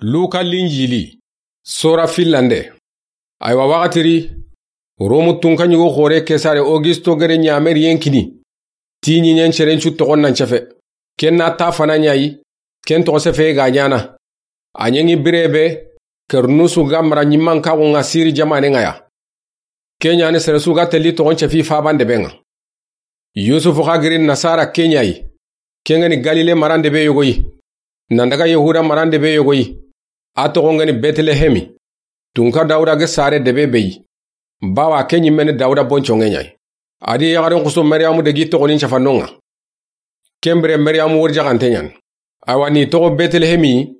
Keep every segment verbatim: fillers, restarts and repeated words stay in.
Luka Linjili, sora fillande. Aywa, waxati ri, Romu tunka ɲugo xoore Kesare Augusto gere ɲameriyen kini ti ɲiɲen serencu toxon nan cefe. Ken na ta fana ɲa yi, ken toxo sefe ga ɲaana. A ɲeŋi bire be, Kernusu ga mara ɲimankaxun ŋa Siri jamanen ŋa ya. Ke ɲa ni sere su ga telli toxon cefi faban debe ŋa. Yusufu xa giri Nasara ke ɲa yi. Ken ga ni Galile marande be yogo yi. Nan daga Yahuda marande be yogo yi. A toxon ga ni Betelehemi. Tunka Dawuda ge sare debe be yi. Bawa ke ɲimme ni Dawuda bonconŋe ɲa yi. A di yaxarin xusu Mariyamu degi toxonin cafannon ŋa. Ken bire Mariyamu wori jaxante ɲa ni. Awa ni toxo Betelehemi,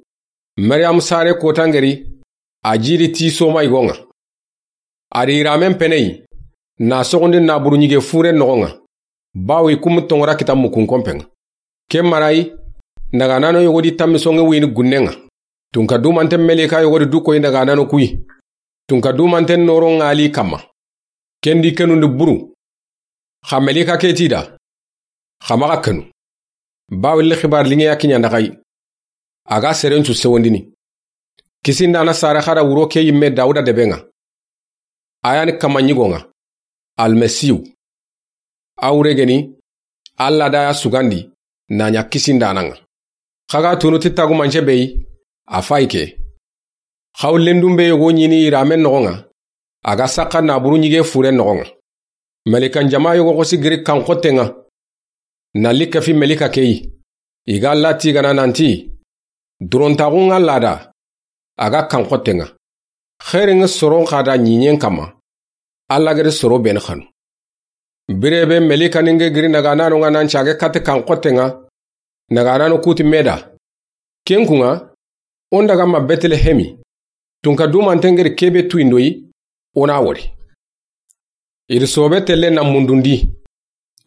Mariyamu sare kotangeri, a jiri ti soma yigon ŋa. A di iramen pene yi, na soxundi naburu ɲige fure noxon ŋa. Bawo i kumu tongora kita mukun konpen ŋa. Ken mara yi, naganano yogo di tammi sonŋe wuyini gunnen ŋa. Tunka dumanten melika yogo di du koyi naganano ku yi. Tunka dumanten noron ŋa li kamma. Ken di kenundi buru. Xa melika ke ti da. Xa maxa kenu. Bawo li xibar liŋe ya kiɲa ndaxa yi. A ga serencu sewondini. Kisindana sare xa da wuro ke yimme Dawuda debe ŋa. A ya ni kamma ɲigon ŋa. Almasihu. A wure geni, Alla da ya sugandi, na ɲa kisindana ŋa. Xa ga tunu ti tagumance be yi, a fayi ke. Xaw lendun be yogo ɲini iramen noxon ŋa, a ga saxa naburu ɲige fure noxon ŋa. Melikan jama yogo xosi giri kan xotten ŋa. Na li kafi melika ke yi. I ga Alla tigana nanti, durontaxun ŋa lada, a ga kan xotten ŋa. Xeerin ŋa soron xa da ɲiɲen kamma. Alla geri soro beni xanu. Bire be melika ni ŋe giri naganano ŋa nan cage kate kan xotten ŋa. Naganano kuti meda. Ken kun ŋa, o n daga ma Betelehemi. Tunka dumanten geri kebe tuyindo yi, o na wori. I ri sobe telle na mundundi.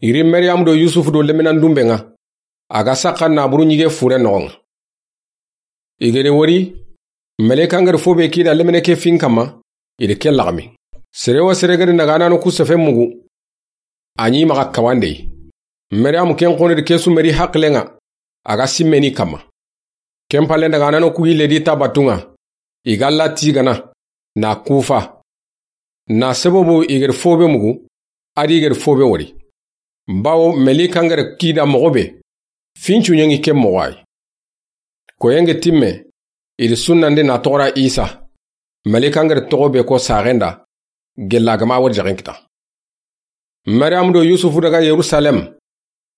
I ri Mariyamu do Yusufu do lemenan dunbe ŋa. A ga saxa naburu ɲige fure noxon ŋa. I geri wori, melekan geri fo be kida lemene ke fin kamma, i ri ke laxami. Sere wo sere geri naganano ku sefe mugu. A ɲi maxa kawande yi. Mariyamu ken xoni ri ke su meri haqilen ŋa, a ga simmeni kamma. Ken palle naganano ku yille di ta batun ŋa. I ga Alla tigana, na kufa. Na sababu i geri fobe mugu, a di i geri fobe wori. Bawo melikan geri kida moxo be, fincu ɲeŋi ke moxo yi. Koyen ŋe timme, i ri sunnande na toxora Isa. Melikan geri toxo be ko saxenda, gella gama wori jaxen kita. Mariyamu do Yusufu daga Yerusalem.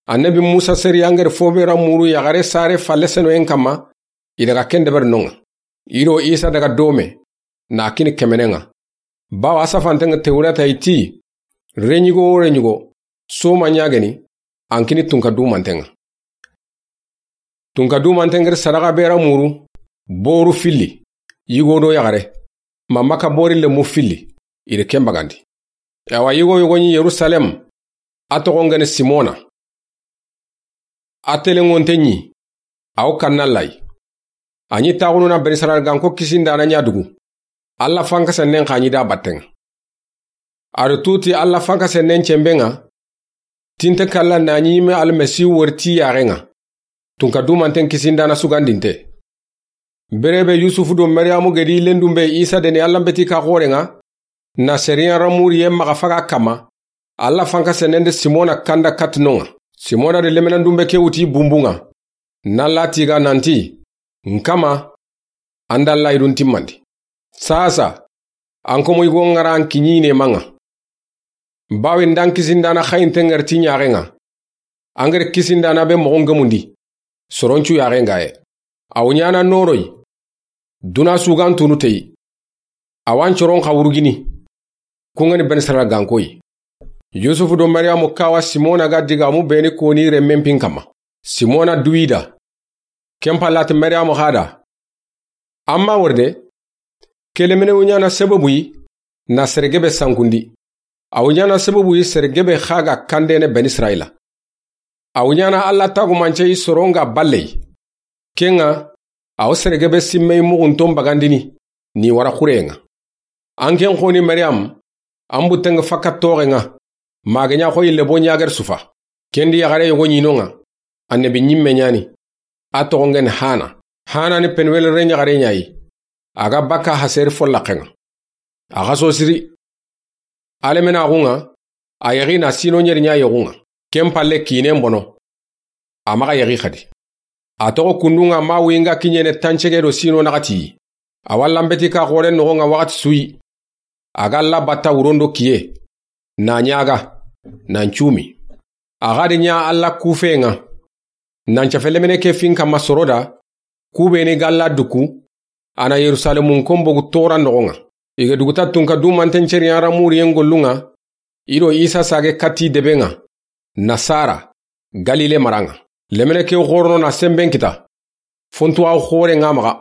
Annabi Musa seri angeri fobe ra muru yaxare sare falle senoyen kamma, i daga ken deberi non ŋa. I do Isa daga dome, na kini kemenen ŋa. Bawa a safanten ŋa Tewreta i ti, reɲigo wo reɲigo, soma ɲageni, an kini tunka dumanten ŋa. Tunka dumanten geri sadaxa be ra muru, boru filli, yigo do yaxare, ma maka bori lemu filli, i ri ken bagandi. Awa yigo yogo ɲi Yerusalem, a toxon geni Simona. A telenŋonte ɲi, a wo kanna lay. A ɲi taxunu na Beni Israyil ganko kisindana ɲa dugu. Alla fankasennen xa ɲi da batten ŋa. A ri tuti Alla fankasennen cemben ŋa, tinte kalla na ɲi me Almasihu wori ti yaxen ŋa. Tunka dumanten kisindana sugandinte. Bere be Yusufu do Mariyamu gedi lendun be Isa deni Alla mbeti ka xoren ŋa, na seriyan ra muriye maxa faga kamma, Alla fankasennen de Simona kanda kati non ŋa. Simona de lemenan dunbe ke wuti bunbun ŋa. Na Alla tiga nanti, n kama, an da Alla yidun timmandi. Sasa, an komo yigo ŋara an kiɲine man ŋa. Bawe ndan kisindana xayinten ŋeri ti ɲaxen ŋa. Angeri kisindana be moxon gemundi. Soroncu yaxen gaye. A wo ɲana noroyi. Duna sugan tunu teyi. A wa n coron xa wurugini. Kun ŋa ni Beni Israyil gankoyi. Yusufu do Mariyamu kawa Simona ga digamu beni koni renmen pin kamma. Simona duwida. Ken pallati Mariyamu xa da. Amma wori de, ke lemine wo ɲana sababu yi, na sere gebe sankundi. A wo ɲana sababu yi sere gebe xa ga kandene Beni Israyila. A wo ɲana Alla tagumance yi soron ga balle yi. Ken ŋa, a wo sere gebe simme yi muxunton bagandini, ni wara xuren ŋa. An ken xoni Mariyamu, an butten ŋa fakka toxen ŋa, ma ga ɲa xoyi lebo ɲageri sufa. Ken di yaxare yogo ɲi non ŋa, annabi ɲimme ɲani, a toxon geni Hana. Hana ni Penuweli renyaxare ɲa yi. A ga bakka Haseri follaxen ŋa. A xa so siri. A lemenaaxun ŋa, a yaxi na siino ɲeri ɲa yexun ŋa. Ken palle kiinen bono. A maxa yaxi xadi. A toxo kundun ŋa ma wuyi n ga kiɲene tancege do siino naxati yi. A wa lanbeti ka xoore noxon ŋa waxati su yi. A ga Alla batta wuron do kiye. Na ɲaaga. Nan cuumi. A xa di ɲa Alla kuufen ŋa. Nan cafe lemine ke fin kanma soro da. Kuubeni ga Alla duku. A na Yerusalemun konbogu toora noxon ŋa. I ga duguta tunka dumanten ceriyan ra muriyen gollun ŋa. I do Isa saage katti deben ŋa. Nasara. Galile maran ŋa. Lemine ke xoorono na senben kita. Fontuwaaxu xooren ŋa maxa.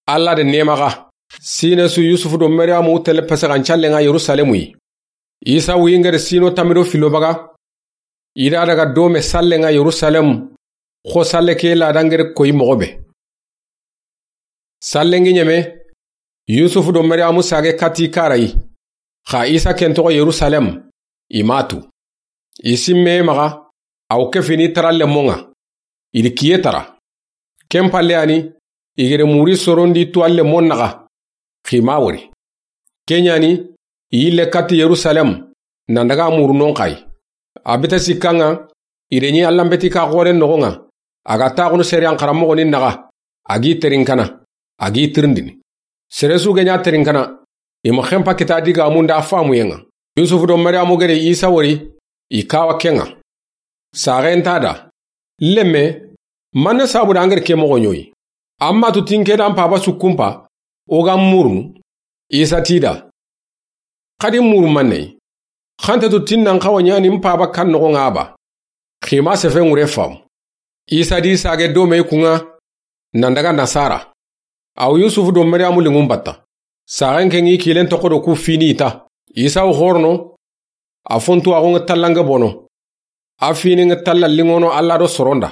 Alla de neema xa. Siine su Yusufu do Mariyamu tele pese xa n callen ŋa Yerusalemu yi. Isa wuyi n gere siino tammi do fillo baga. I da daga doome sallen ŋa Yerusalemu. Xo salle ke laada n gere koyi moxo be. Sallen gi ɲeme. Yusufu do Mariyamu saage katti kara yi. Xa Isa ken toxo Yerusalemu. I ma tu. I simme maxa. A wo kefini tara lemon ŋa. I di kiye tara. Ken palle ya ni. I gere muri sorondi tu a lemon naxa. Xi ma wori. Ken ya ni. I yille katti Yerusalemu. Nan daga murunon xa yi. A bita sikkan ŋa. I de ɲi Alla n beti ka xoore noxon ŋa. A ga taaxunu seriyan xaranmoxo ni naxa. A gi terinkana. A gi tirindini. Sere su ga ɲa terinkana. I ma xenpa kita digaamun da faamuyen ŋa. Yusufu do Mariyamu gere Isa wori. I kawa ken ŋa. Saaxen ta da. Lemme. Manne sabu da an gere ke moxo ɲoyi. Amma tu tinke da n paaba su kunpa. O ga murunu. Isa ti da. Xadi muru manne. Xante tu tinnan xawa ɲa ni n paaba kan noxon ŋa ba. Xi ma sefe ŋure faamu. Isa di saage doome kun ŋa. Nan daga Nasara. A wo Yusufu do Mariyamu linŋun batta. Saaxen ke ŋi kiilen toxo do ku fini i ta. Isa wo xoorono. A fontuwaaxun ŋa tallange bono. A fini ŋa talla linŋono Alla do soron da.